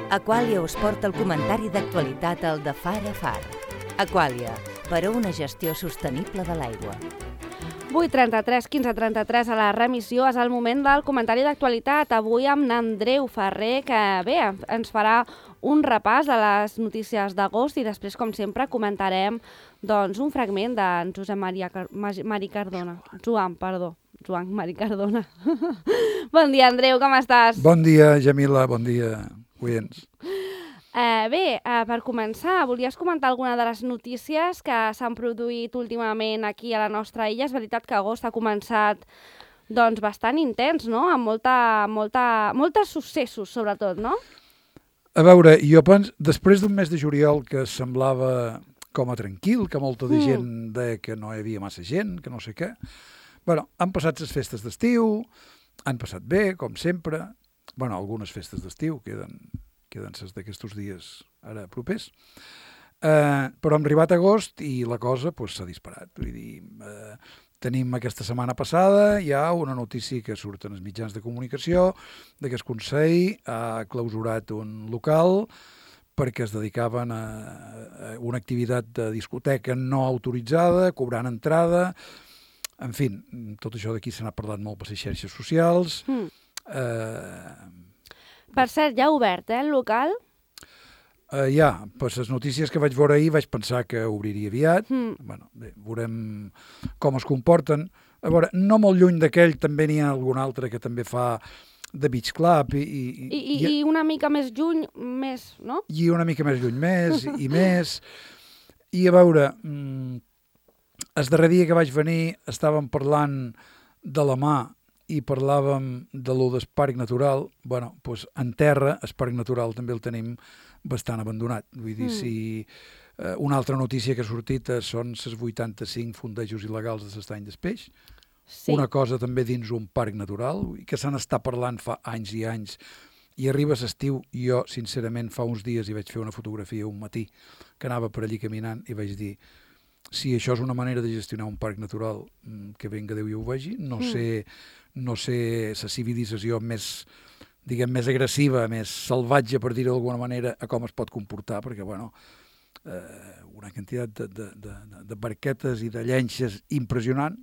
Aquàlia us porta el comentari d'actualitat al de Far a Far. Aquàlia, per a una gestió sostenible de l'aigua. 8:33, 15:33 a la remissió és el moment del comentari d'actualitat. Avui amb n'Andreu Ferrer, que bé, ens farà un repàs de les notícies d'agost i després, com sempre, comentarem doncs, un fragment d'en Joan Mari Cardona. Bon dia, Andreu, com estàs? Bon dia, Jamila, bon dia, oients. Per començar, volies comentar alguna de les notícies que s'han produït últimament aquí a la nostra illa? És veritat que agost ha començat doncs, bastant intens, no? Amb molts successos, sobretot, no? A veure, jo penso, després d'un mes de juliol que semblava com a tranquil, que molta de gent deia que no hi havia massa gent, que no sé què, bueno, han passat les festes d'estiu, han passat bé, com sempre, bueno, algunes festes d'estiu queden ses d'aquests dies ara propers, però hem arribat a agost i la cosa s'ha disparat. Vull dir, tenim aquesta setmana passada ja una notícia que surt en els mitjans de comunicació que el Consell ha clausurat un local perquè es dedicaven a una activitat de discoteca no autoritzada, cobrant entrada, en fi, tot això d'aquí se n'ha parlat molt per les xarxes socials. Per cert, ja ha obert, el local? Ja, per les notícies que vaig veure ahir vaig pensar que obriria aviat. Bueno, bé, veurem com es comporten. A veure, no molt lluny d'aquell també n'hi ha algun altre que també fa de beach club i una mica més lluny, més, no? I una mica més lluny, més i més. I a veure, el darrer dia que vaig venir estàvem parlant de la mà i parlàvem de lo del parc natural. Bueno, doncs en terra, el parc natural també el tenim bastant abandonat. Vull dir, si una altra notícia que ha sortit són els 85 fondejos il·legals de l'estany del peix. Sí. Una cosa també dins un parc natural, que se n'està parlant fa anys i anys. I arriba l'estiu, jo, sincerament, fa uns dies hi vaig fer una fotografia un matí que anava per allí caminant i vaig dir, si això és una manera de gestionar un parc natural, que venga Déu i ho vegi, no sé la civilització més, diguem, més agressiva, més salvatge, per dir-ho d'alguna manera, a com es pot comportar, perquè, bueno, una quantitat de barquetes i de llenxes impressionant.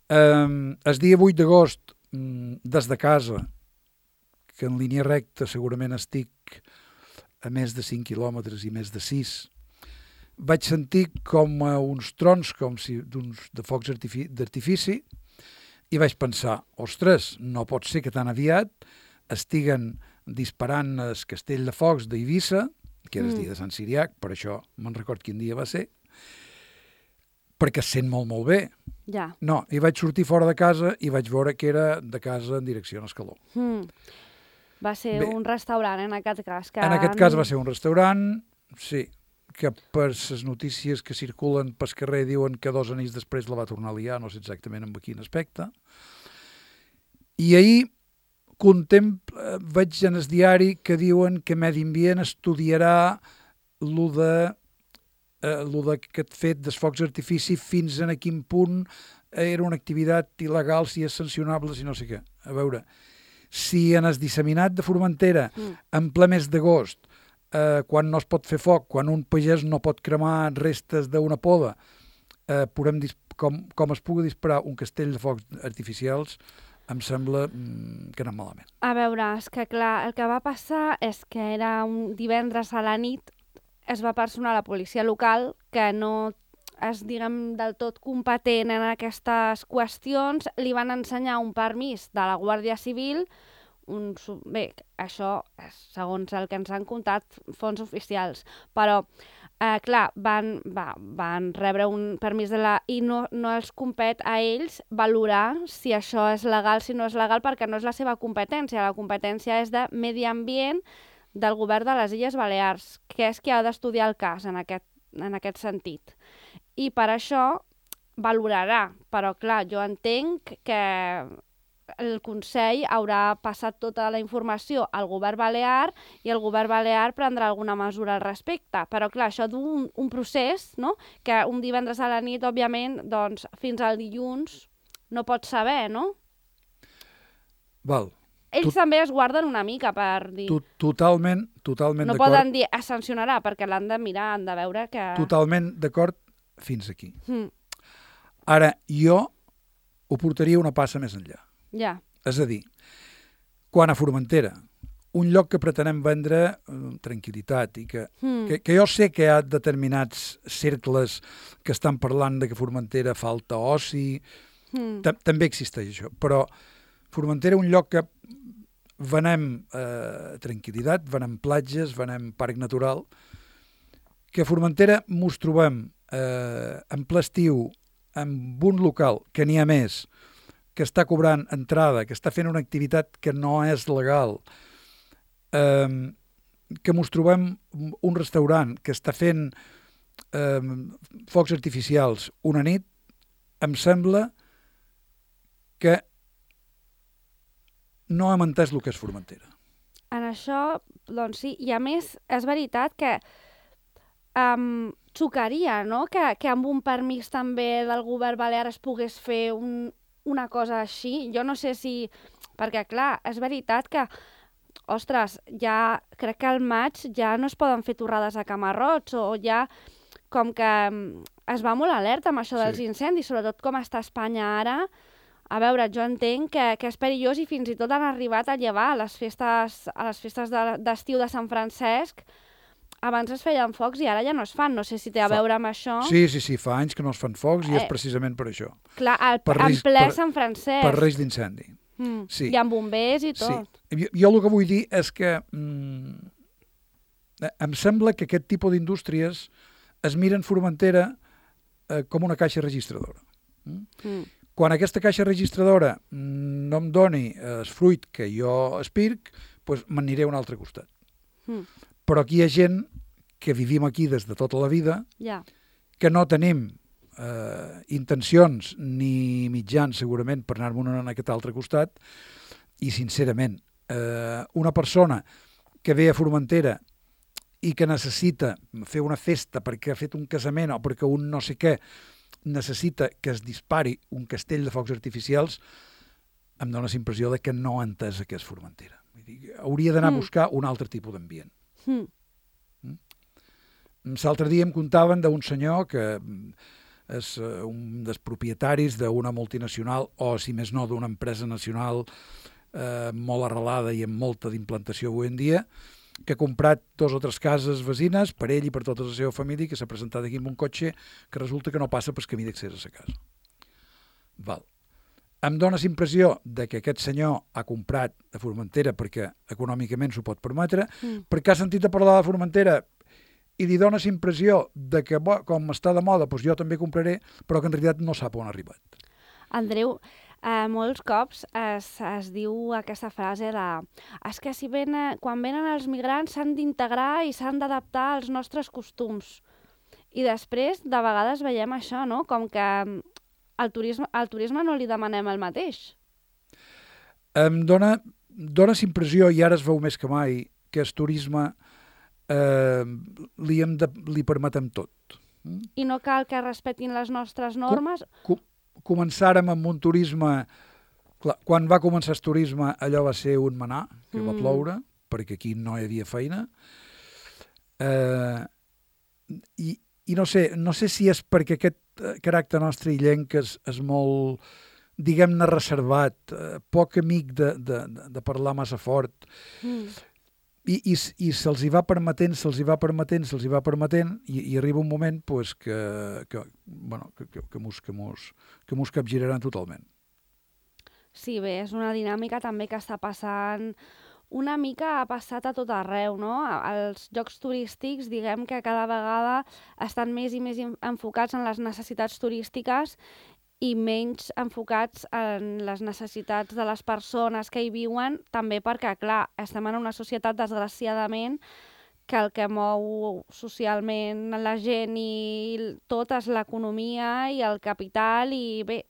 El dia 8 d'agost, des de casa, que en línia recta segurament estic a més de 5 quilòmetres i més de 6, vaig sentir com uns trons, com si de focs d'artifici, i vaig pensar, ostres, no pot ser que tan aviat estiguen disparant el castell de focs d'Eivissa, que era el dia de Sant Siriac, per això me'n record quin dia va ser, perquè es sent molt, molt bé. Ja. No, i vaig sortir fora de casa i vaig veure que era de casa en direcció a Escaló. Va ser un restaurant, en aquest cas. En aquest cas va ser un restaurant, sí, que per les notícies que circulen pel carrer diuen que 2 anells després la va tornar a liar, no sé exactament en quin aspecte. I ahir veig en el diari que diuen que Medi Ambient estudiarà lo d'aquest fet dels focs d'artifici fins a quin punt era una activitat il·legal, si és sancionable, si no sé què. A veure, si en el disseminat de Formentera, en ple mes d'agost, quan no es pot fer foc, quan un pagès no pot cremar restes d'una poda, com es pugui disparar un castell de focs artificials, em sembla que anem malament. A veure, és que clar, el que va passar és que era un divendres a la nit, es va personar la policia local, que no és, diguem, del tot competent en aquestes qüestions, li van ensenyar un permís de la Guàrdia Civil. Bé, això és segons el que ens han contat fonts oficials, però clar, van rebre un permís i no els compet a ells valorar si això és legal, si no és legal, perquè no és la seva competència. La competència és de Medi Ambient del govern de les Illes Balears, que és qui ha d'estudiar el cas en aquest sentit. I per això valorarà, però clar, jo entenc que el Consell haurà passat tota la informació al govern balear i el govern balear prendrà alguna mesura al respecte. Però clar, això d'un procés, no? Que un divendres a la nit, òbviament, doncs fins al dilluns no pots saber, no? Val. ells també es guarden una mica per dir... Totalment d'acord. No poden dir es sancionarà, perquè l'han de mirar, han de veure que... Totalment d'acord fins aquí. Ara, jo ho portaria una passa més enllà. Ja. És a dir, quan a Formentera, un lloc que pretenem vendre tranquil·litat i que jo sé que hi ha determinats cercles que estan parlant de que Formentera falta oci, també existeix això, però Formentera un lloc que venem tranquil·litat, venem platges, venem parc natural, que a Formentera mos trobem en ple estiu amb un local que n'hi ha més, que està cobrant entrada, que està fent una activitat que no és legal, que mos trobem un restaurant que està fent focs artificials una nit, em sembla que no hem entès el que és Formentera. En això, doncs sí, i a més és veritat que xocaria, no?, que amb un permís també del govern balear es pogués fer una cosa així. Jo no sé si... Perquè, clar, és veritat que, ostres, ja crec que al maig ja no es poden fer torrades a Camarrots, o ja com que es va molt alerta amb això dels incendis, sobretot com està Espanya ara. A veure, jo entenc que és perillós i fins i tot han arribat a llevar a les festes d'estiu de Sant Francesc. Abans es feien focs i ara ja no es fan. No sé si té a veure amb això. Sí, fa anys que no es fan focs i és precisament per això. Clar, en ple Sant Francesc. Per risc d'incendi. Sí. I amb bombers i tot. Sí. Jo el que vull dir és que em sembla que aquest tipus d'indústries es miren Formentera com una caixa registradora. Quan aquesta caixa registradora no em doni el fruit que jo aspirc, doncs m'aniré a un altre costat. Però aquí hi ha gent que vivim aquí des de tota la vida, que no tenim intencions ni mitjans segurament per anar-me'n a aquest altre costat, i sincerament una persona que ve a Formentera i que necessita fer una festa perquè ha fet un casament o perquè un no sé què necessita que es dispari un castell de focs artificials, em dóna la impressió de que no ha entès què és Formentera. Hauria d'anar a buscar un altre tipus d'ambient. L'altre dia em contaven d'un senyor que és un dels propietaris d'una multinacional, o si més no d'una empresa nacional molt arrelada i amb molta d'implantació avui en dia, que ha comprat 2 o 3 cases veïnes per ell i per tota la seva família, que s'ha presentat aquí amb un cotxe que resulta que no passa pel camí d'accés a la casa. Val. Em dóna la impressió que aquest senyor ha comprat a Formentera perquè econòmicament s'ho pot permetre, perquè ha sentit a parlar de Formentera i li dóna la impressió que com està de moda, doncs jo també compraré, però que en realitat no sap on ha arribat. Andreu, molts cops es diu aquesta frase de és que quan venen els migrants s'han d'integrar i s'han d'adaptar als nostres costums. I després, de vegades veiem això, no? Com que al turisme no li demanem el mateix. Em dóna la impressió, i ara es veu més que mai, que el turisme li permetem tot. I no cal que respectin les nostres normes? Començàrem amb un turisme... Quan va començar el turisme, allò va ser un manar, que va ploure, perquè aquí no hi havia feina. I no sé si és perquè aquest caràcter nostre illenc és molt, diguem-ne, reservat, poc amic de parlar massa fort, i se'ls hi va permetent, i arriba un moment que mos capgiraran totalment. Sí, bé, és una dinàmica també que està passant, una mica ha passat a tot arreu, no? Els llocs turístics, diguem que cada vegada estan més i més enfocats en les necessitats turístiques i menys enfocats en les necessitats de les persones que hi viuen, també perquè, clar, estem en una societat, desgraciadament, que el que mou socialment la gent i tot és l'economia i el capital, i bé,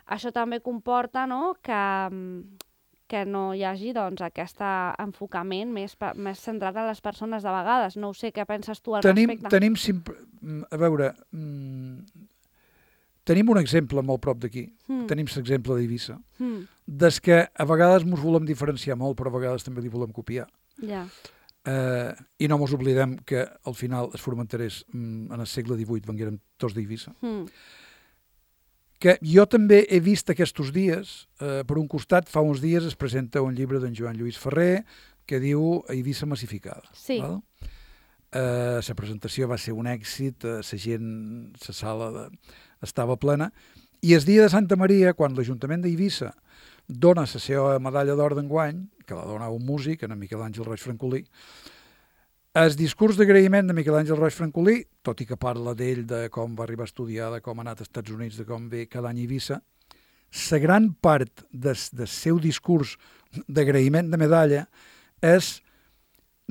això també comporta, no?, que no hi hagi aquest enfocament més centrat en les persones de vegades. No ho sé, què penses tu al respecte? A veure, Tenim un exemple molt prop d'aquí. Tenim l'exemple d'Eivissa. Des que a vegades ens volem diferenciar molt, però a vegades també li volem copiar. Ja. I no ens oblidem que al final els formenterers en el segle XVIII vengueren tots d'Eivissa. Que jo també he vist aquests dies, per un costat, fa uns dies es presenta un llibre d'en Joan Lluís Ferrer que diu Eivissa massificada. Sí. La presentació va ser un èxit, la gent, la sala estava plena, i el dia de Santa Maria, quan l'Ajuntament d'Eivissa dona la seva medalla d'or d'enguany, que la dona un músic, en Miquel Àngel Roig Francolí, el discurs d'agraïment de Miquel Àngel Roig Francolí, tot i que parla d'ell, de com va arribar a estudiar, de com ha anat als Estats Units, de com ve cada any a Eivissa, la gran part del seu discurs d'agraïment de medalla és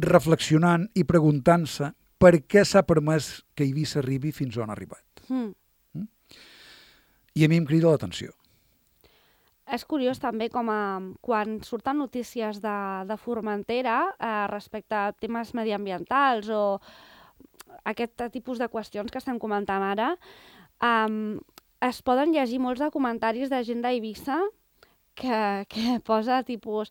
reflexionant i preguntant-se per què s'ha permès que Eivissa arribi fins on ha arribat. I a mi em crida l'atenció. És curiós també com quan surten notícies de Formentera respecte a temes mediambientals o aquest tipus de qüestions que estem comentant ara, es poden llegir molts de comentaris de gent d'Eivissa que posa tipus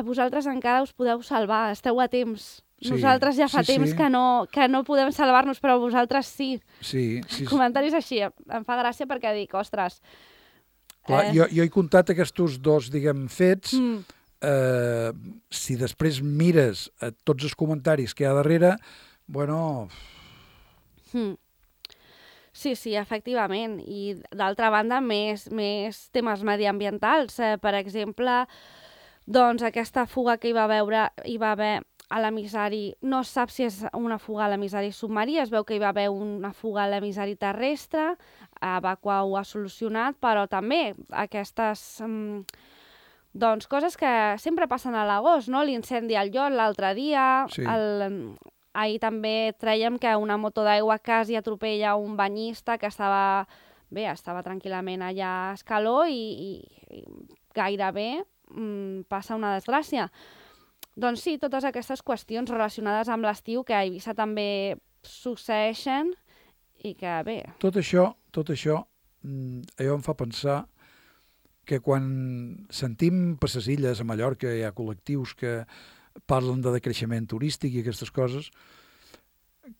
vosaltres encara us podeu salvar, esteu a temps. Sí, nosaltres ja fa temps que no podem salvar-nos, però vosaltres sí. Sí. Comentaris així, em fa gràcia perquè dic, ostres... Clar, jo he comptat aquests dos, diguem, fets. Si després mires tots els comentaris que hi ha darrere, bueno... Sí, efectivament. I d'altra banda, més temes mediambientals. Per exemple, doncs aquesta fuga que hi va haver a l'emissari, no es sap si és una fuga a l'emissari submarí, es veu que hi va haver una fuga a l'emissari terrestre, Vacua ho ha solucionat, però també aquestes doncs, coses que sempre passen a l'agost, no? L'incendi al Llot l'altre dia, sí. Ahir també traiem que una moto d'aigua quasi atropella un banyista que estava tranquil·lament allà a Escaló i gairebé passa una desgràcia. Doncs sí, totes aquestes qüestions relacionades amb l'estiu que a Eivissa també succeeixen i que bé... Tot això, allò em fa pensar que quan sentim per les illes, a Mallorca, hi ha col·lectius que parlen de decreixement turístic i aquestes coses,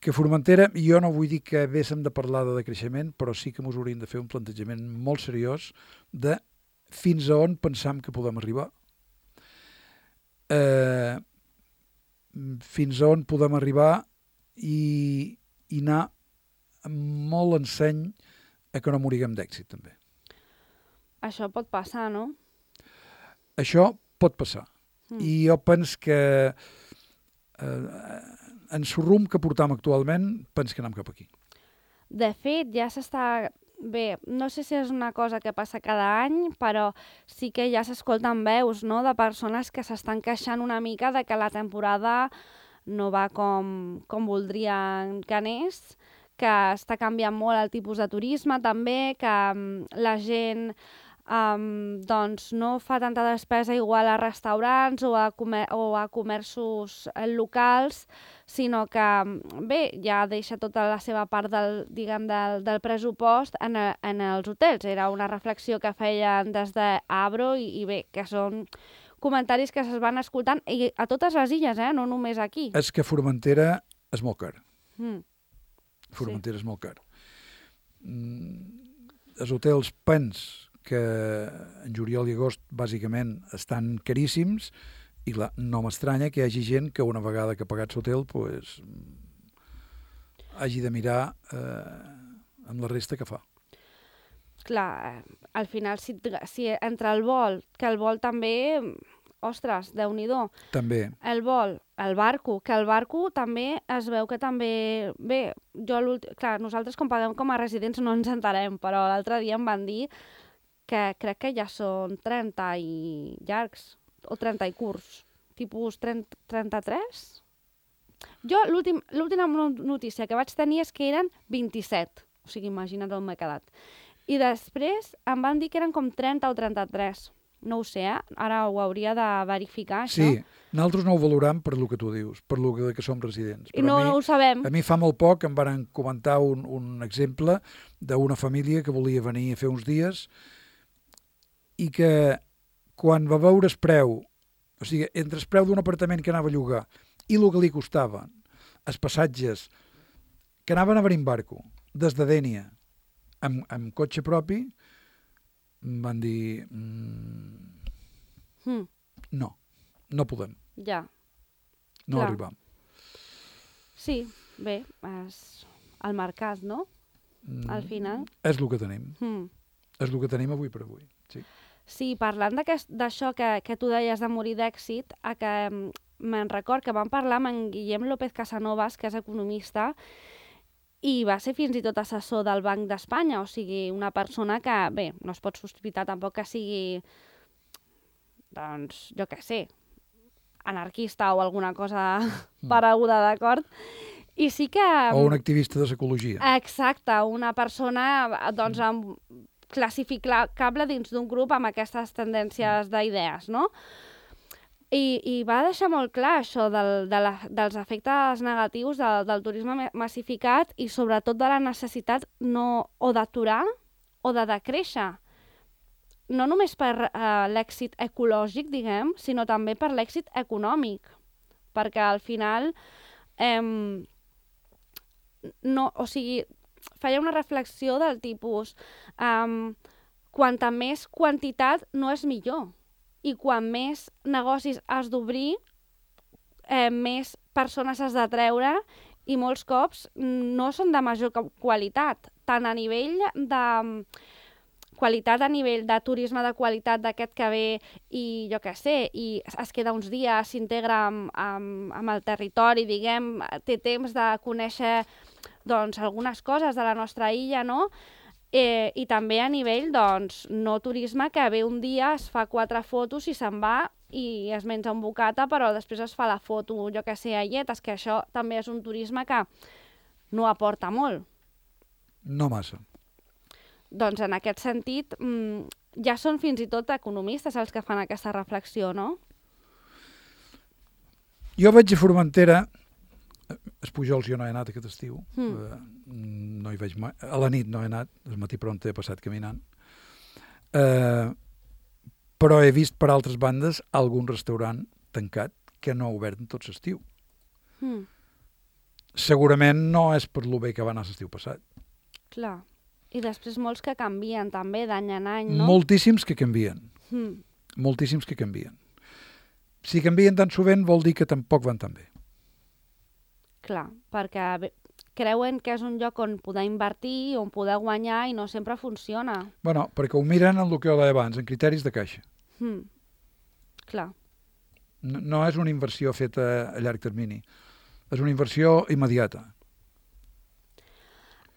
que Formentera, jo no vull dir que haguéssim de parlar de decreixement, però sí que ens hauríem de fer un plantejament molt seriós de fins a on pensam que podem arribar. Fins a on podem arribar i anar molt enseny a que no moriguem d'èxit, també. Això pot passar, no? Això pot passar. I jo penso que en el rumb que portam actualment, penso que anem cap aquí. De fet, ja s'està... Bé, no sé si és una cosa que passa cada any, però sí que ja s'escolten veus, no?, de persones que s'estan queixant una mica de que la temporada no va com voldrien que anés, que està canviant molt el tipus de turisme també, que la gent doncs no fa tanta despesa igual a restaurants o a comerços locals, sinó que bé, ja deixa tota la seva part del pressupost en els hotels. Era una reflexió que feien des d'Abro i bé, que són comentaris que es van escoltant i a totes les illes, no només aquí. És que Formentera és molt car. Formentera és molt car. Els hotels pens que en juliol i agost bàsicament estan caríssims i clar, no m'estranya que hi hagi gent que una vegada que ha pagat l'hotel pues, hagi de mirar amb la resta que fa. Clar, al final si entre el vol, que el vol també, ostres, Déu-n'hi-do. També. El vol, el barco, que el barco també es veu que també... Bé, clar, nosaltres com paguem com a residents no ens enterem, però l'altre dia em van dir que crec que ja són 30 i llargs, o 30 i curts, tipus 33? Jo l'última notícia que vaig tenir és que eren 27, o sigui, imagina't on m'he quedat. I després em van dir que eren com 30 o 33. No ho sé, ara ho hauria de verificar, això. Sí, nosaltres no ho valorem per lo que tu dius, per lo que som residents. I no ho sabem. A mi fa molt poc em van comentar un exemple d'una família que volia venir a fer uns dies i que quan va veure el preu, o sigui, entre el preu d'un apartament que anava a llogar i el que li costava, els passatges que anaven a venir en barco, des de Dénia, amb cotxe propi, em van dir no podem, Ja. no Clar. arribam. Sí, bé, és el mercat, no? Al final. És el que tenim. És el que tenim avui per avui. Sí. Sí, parlant d'això que tu deies de morir d'èxit, que me'n record que vam parlar amb en Guillem López Casanovas, que és economista, i va ser fins i tot assessor del Banc d'Espanya, o sigui, una persona que, bé, no es pot sospitar tampoc que sigui, doncs, jo què sé, anarquista o alguna cosa pareguda, d'acord? I sí que... O un activista de l'ecologia. Exacte, una persona, doncs, classificable dins d'un grup amb aquestes tendències d'idees, no? I va deixar molt clar això dels efectes negatius del turisme massificat i sobretot de la necessitat o d'aturar o de decréixer. No només per l'èxit ecològic, diguem, sinó també per l'èxit econòmic. Perquè al final, o sigui, feia una reflexió del tipus quanta més quantitat no és millor. I quan més negocis has d'obrir, més persones has de treure i molts cops no són de major qualitat, tant a nivell de qualitat, a nivell de turisme de qualitat d'aquest que ve i jo què sé, i es queda uns dies, s'integra amb el territori, diguem, té temps de conèixer doncs, algunes coses de la nostra illa, no? I també a nivell, doncs, no turisme, que ve un dia, es fa 4 fotos i se'n va i es menja un bocata, però després es fa la foto, jo que sé, a lletes, que això també és un turisme que no aporta molt. No massa. Doncs en aquest sentit, ja són fins i tot economistes els que fan aquesta reflexió, no? Jo vaig a Formentera, a Pujols jo no he anat aquest estiu, no hi vaig mai, a la nit no he anat, al matí pront he passat caminant, però he vist per altres bandes algun restaurant tancat que no ha obert en tot l'estiu. Segurament no és per lo bé que va anar l'estiu passat. Clar. I després molts que canvien també d'any en any, no? Moltíssims que canvien. Moltíssims que canvien. Si canvien tan sovint vol dir que tampoc van tan bé. Clar, perquè creuen que és un lloc on poder invertir, on poder guanyar i no sempre funciona. Bueno, perquè ho miren en el que ho deia abans, en criteris de caixa. Clar. No és una inversió feta a llarg termini. És una inversió immediata.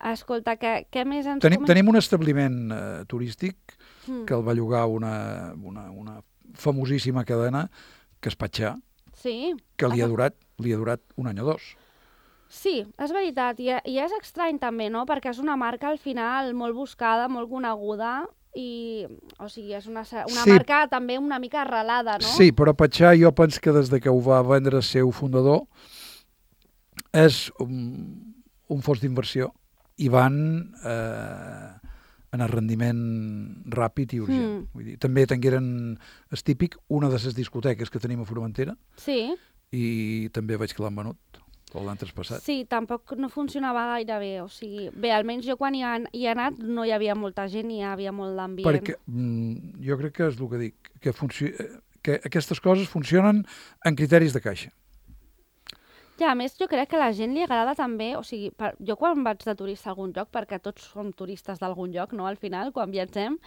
Escolta, què més ens Tenim un establiment turístic que el va llogar una famosíssima cadena, que és Patxà, que li ha durat un any o dos. Sí, és veritat, i és estrany també, no? Perquè és una marca al final molt buscada, molt coneguda, i, o sigui, és una marca també una mica arrelada, no? Sí, però Patxà jo penso que des que ho va vendre el seu fundador és un fons d'inversió i van en el rendiment ràpid i urgent. Vull dir, també tingueren, és típic, una de les discoteques que tenim a Formentera, i també veig que l'han venut l'any traspassat. Sí, tampoc no funcionava gaire bé, o sigui, bé, almenys jo quan hi he anat no hi havia molta gent i hi havia molt d'ambient. Perquè jo crec que és el que dic, que aquestes coses funcionen en criteris de caixa. Ja, a més, jo crec que a la gent li agrada també, o sigui, jo quan vaig de turista a algun lloc, perquè tots som turistes d'algun lloc, no?, al final, quan viatgem,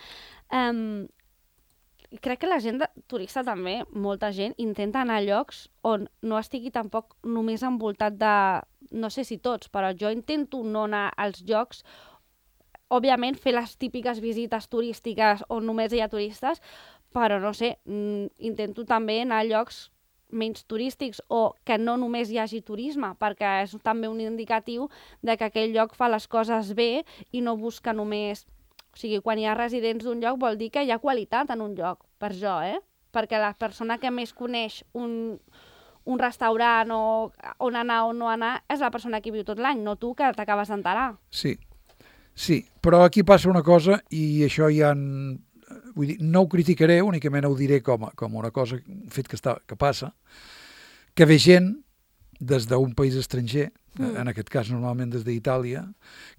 crec que la gent turista també, molta gent, intenta anar a llocs on no estigui tampoc només envoltat de, no sé si tots, però jo intento no anar als llocs, òbviament fer les típiques visites turístiques on només hi ha turistes, però no sé, intento també anar a llocs menys turístics o que no només hi hagi turisme, perquè és també un indicatiu de que aquell lloc fa les coses bé i no busca només... O sigui, quan hi ha residents d'un lloc vol dir que hi ha qualitat en un lloc, per jo, perquè la persona que més coneix un restaurant o on anar o no anar és la persona que viu tot l'any, no tu que t'acabes d'enterar. Sí, però aquí passa una cosa i això ja... Vull dir, no ho criticaré, únicament ho diré com una cosa, un fet que passa, que ve gent des d'un país estranger, en aquest cas normalment des d'Itàlia,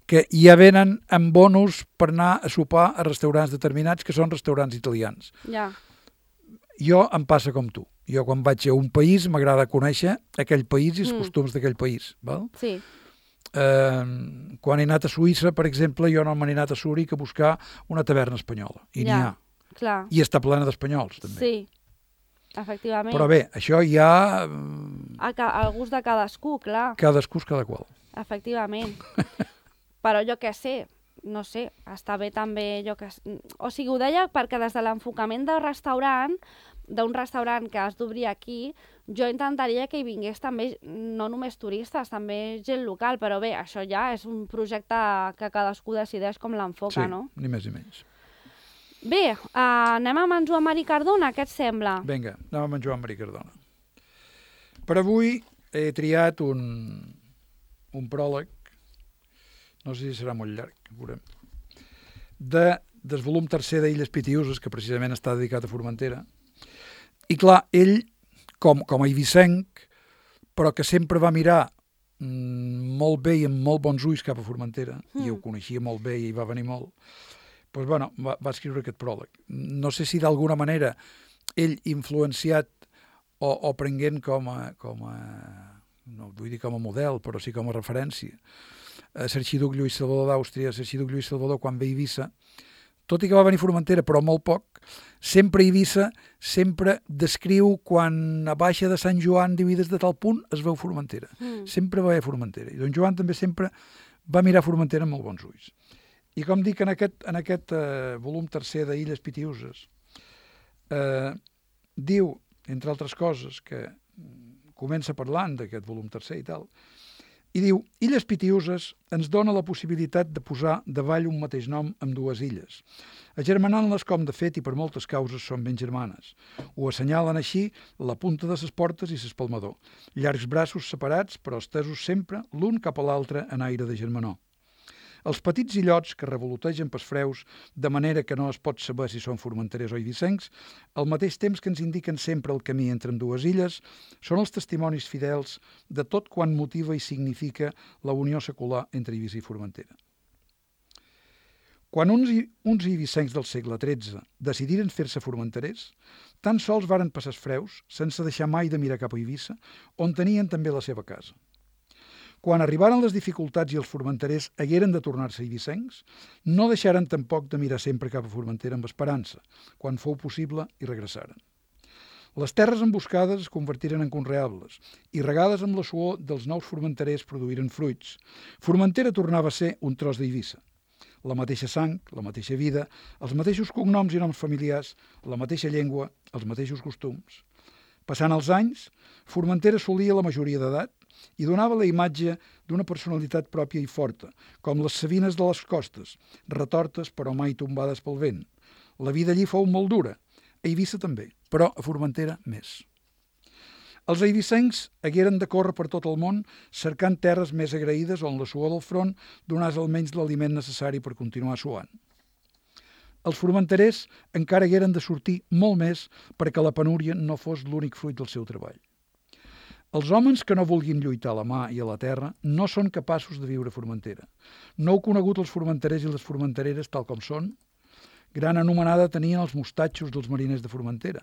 que ja venen amb bonus per anar a sopar a restaurants determinats que són restaurants italians. Ja. Jo em passa com tu. Jo quan vaig a un país m'agrada conèixer aquell país i els costums d'aquell país. Val? Sí. Quan he anat a Suïssa, per exemple, jo no m'he anat a Zúrich a buscar una taverna espanyola. I n'hi ha. Clar. I està plena d'espanyols, també. Sí, efectivament. Però bé, això ja... Al gust de cadascú, clar. Cadascú és cada qual. Efectivament. Però jo què sé, no sé, està bé també... O sigui, ho deia perquè des de l'enfocament d'un restaurant que has d'obrir aquí, jo intentaria que hi vingués també, no només turistes, també gent local, però bé, això ja és un projecte que cadascú decideix com l'enfoca, no? Sí, ni més ni menys. Bé, anem amb en Joan Marí Cardona, què et sembla? Vinga, anem amb en Joan Marí Cardona. Per avui he triat un pròleg, no sé si serà molt llarg, veurem, del volum tercer d'Illes Pitiüses, que precisament està dedicat a Formentera. I clar, ell, com a eivissenc, però que sempre va mirar molt bé i amb molt bons ulls cap a Formentera, i ho coneixia molt bé i hi va venir molt, doncs, bueno, va escriure aquest pròleg. No sé si d'alguna manera ell influenciat o prenent com a no vull dir com a model, però sí com a referència, l'arxiduc Lluís Salvador d'Àustria, l'arxiduc Lluís Salvador quan ve a Eivissa, tot i que va venir a Formentera, però molt poc, sempre Eivissa sempre descriu quan a baixa de Sant Joan, diu, des de tal punt es veu Formentera. Sempre va a Formentera. I don Joan també sempre va mirar Formentera amb molt bons ulls. I com dic, en aquest volum tercer d'Illes Pitiüses, diu, entre altres coses, que comença parlant d'aquest volum tercer i tal, i diu, Illes Pitiüses ens dona la possibilitat de posar davall un mateix nom amb dues illes, agermanant-les com de fet i per moltes causes són ben germanes. Ho assenyalen així la punta de ses portes i s'espalmador, llargs braços separats però estesos sempre l'un cap a l'altre en aire de germanor. Els petits illots que revolotegen pels freus, de manera que no es pot saber si són formenterers o eivissencs, al mateix temps que ens indiquen sempre el camí entre ambdues illes, són els testimonis fidels de tot quan motiva i significa la unió secular entre Eivissa i Formentera. Quan uns eivissencs del segle XIII decidiren fer-se formenterers, tan sols varen passar els freus, sense deixar mai de mirar cap a Eivissa, on tenien també la seva casa. Quan arribaren les dificultats i els formenterers hagueren de tornar-se eivissencs, no deixaren tampoc de mirar sempre cap a Formentera amb esperança, quan fou possible i regressaren. Les terres emboscades es convertiren en conreables i regades amb la suor dels nous formenterers produïren fruits. Formentera tornava a ser un tros d'Eivissa. La mateixa sang, la mateixa vida, els mateixos cognoms i noms familiars, la mateixa llengua, els mateixos costums. Passant els anys, Formentera assolia la majoria d'edat i donava la imatge d'una personalitat pròpia i forta, com les savines de les costes, retortes però mai tombades pel vent. La vida allí fou molt dura, a Eivissa també, però a Formentera més. Els eivissencs hagueren de córrer per tot el món cercant terres més agraïdes on la suor del front donàs almenys l'aliment necessari per continuar suant. Els formenterers encara hagueren de sortir molt més perquè la penúria no fos l'únic fruit del seu treball. Els homes que no vulguin lluitar a la mà i a la terra no són capaços de viure a Formentera. No heu conegut els formenterers i les formentereres tal com són? Gran anomenada tenien els mostatxos dels mariners de Formentera.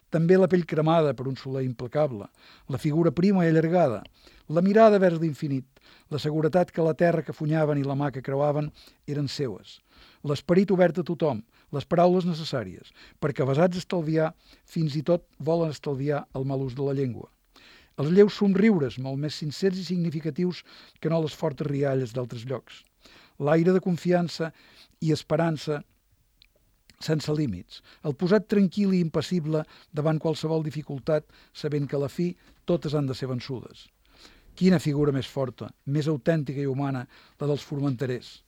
També la pell cremada per un soler implacable, la figura prima i allargada, la mirada vers l'infinit, la seguretat que la terra que funyaven i la mà que creuaven eren seues, l'esperit obert a tothom, les paraules necessàries, perquè avesats a estalviar, fins i tot volen estalviar el mal ús de la llengua. Els lleus somriures, molt més sincers i significatius que no les fortes rialles d'altres llocs. L'aire de confiança i esperança sense límits. El posat tranquil i impassible davant qualsevol dificultat, sabent que a la fi totes han de ser vençudes. Quina figura més forta, més autèntica i humana, la dels formenterers.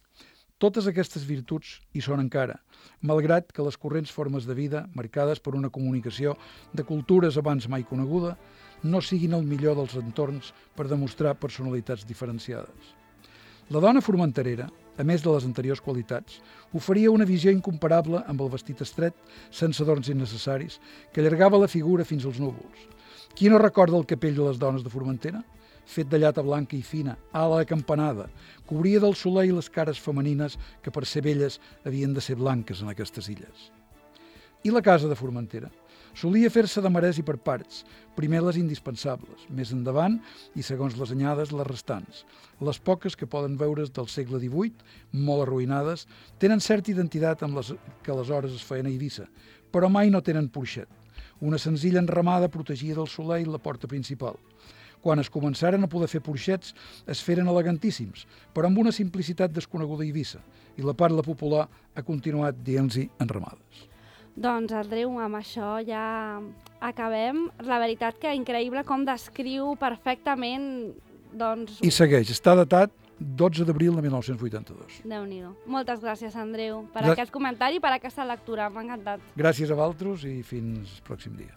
Totes aquestes virtuts hi són encara, malgrat que les corrents formes de vida, marcades per una comunicació de cultures abans mai coneguda, no siguin el millor dels entorns per demostrar personalitats diferenciades. La dona formenterera, a més de les anteriors qualitats, oferia una visió incomparable amb el vestit estret, sense adorns innecessaris, que allargava la figura fins als núvols. Qui no recorda el capell de les dones de Formentera? Fet de llata blanca i fina, ala acampanada, cobria del soleil les cares femenines que per ser belles havien de ser blanques en aquestes illes. I la casa de Formentera? Solia fer-se de marès i per parts, primer les indispensables, més endavant i, segons les anyades, les restants. Les poques que poden veure's del segle XVIII, molt arruïnades, tenen certa identitat amb les que aleshores es feien a Eivissa, però mai no tenen porxet. Una senzilla enramada protegia del soleil la porta principal. Quan es començaren a poder fer porxets, es feren elegantíssims, però amb una simplicitat desconeguda a Eivissa, i la parla popular ha continuat dient-hi enramades. Doncs, Andreu, amb això ja acabem. La veritat que increïble com descriu perfectament... Doncs... I segueix, està datat 12 d'abril de 1982. Déu-n'hi-do. Moltes gràcies, Andreu, per aquest comentari i per aquesta lectura. M'ha encantat. Gràcies a vosaltres i fins el pròxim dia.